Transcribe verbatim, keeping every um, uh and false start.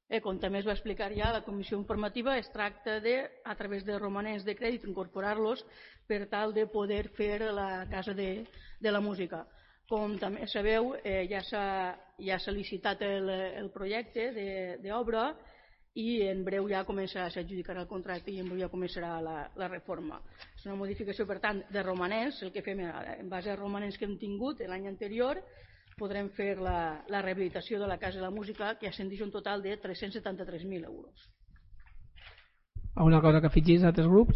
Eh, com també es va explicar ja a la comissió informativa, es tracta de, a través de romanents de crèdit, incorporar-los per tal de poder fer la Casa de, de la Música. Com també sabeu, eh, ja s'ha ja s'ha licitat el, el projecte d'obra i en breu ja començarà, s'adjudicarà el contracte i en breu ja començarà la, la reforma. És una modificació, per tant, de romanents. El que fem en base a romanents que hem tingut l'any anterior, podrem fer la, la rehabilitació de la Casa de la Música, que ascendeix un total de tres-cents setanta-tres mil euros. Alguna cosa que afegís a altres grups?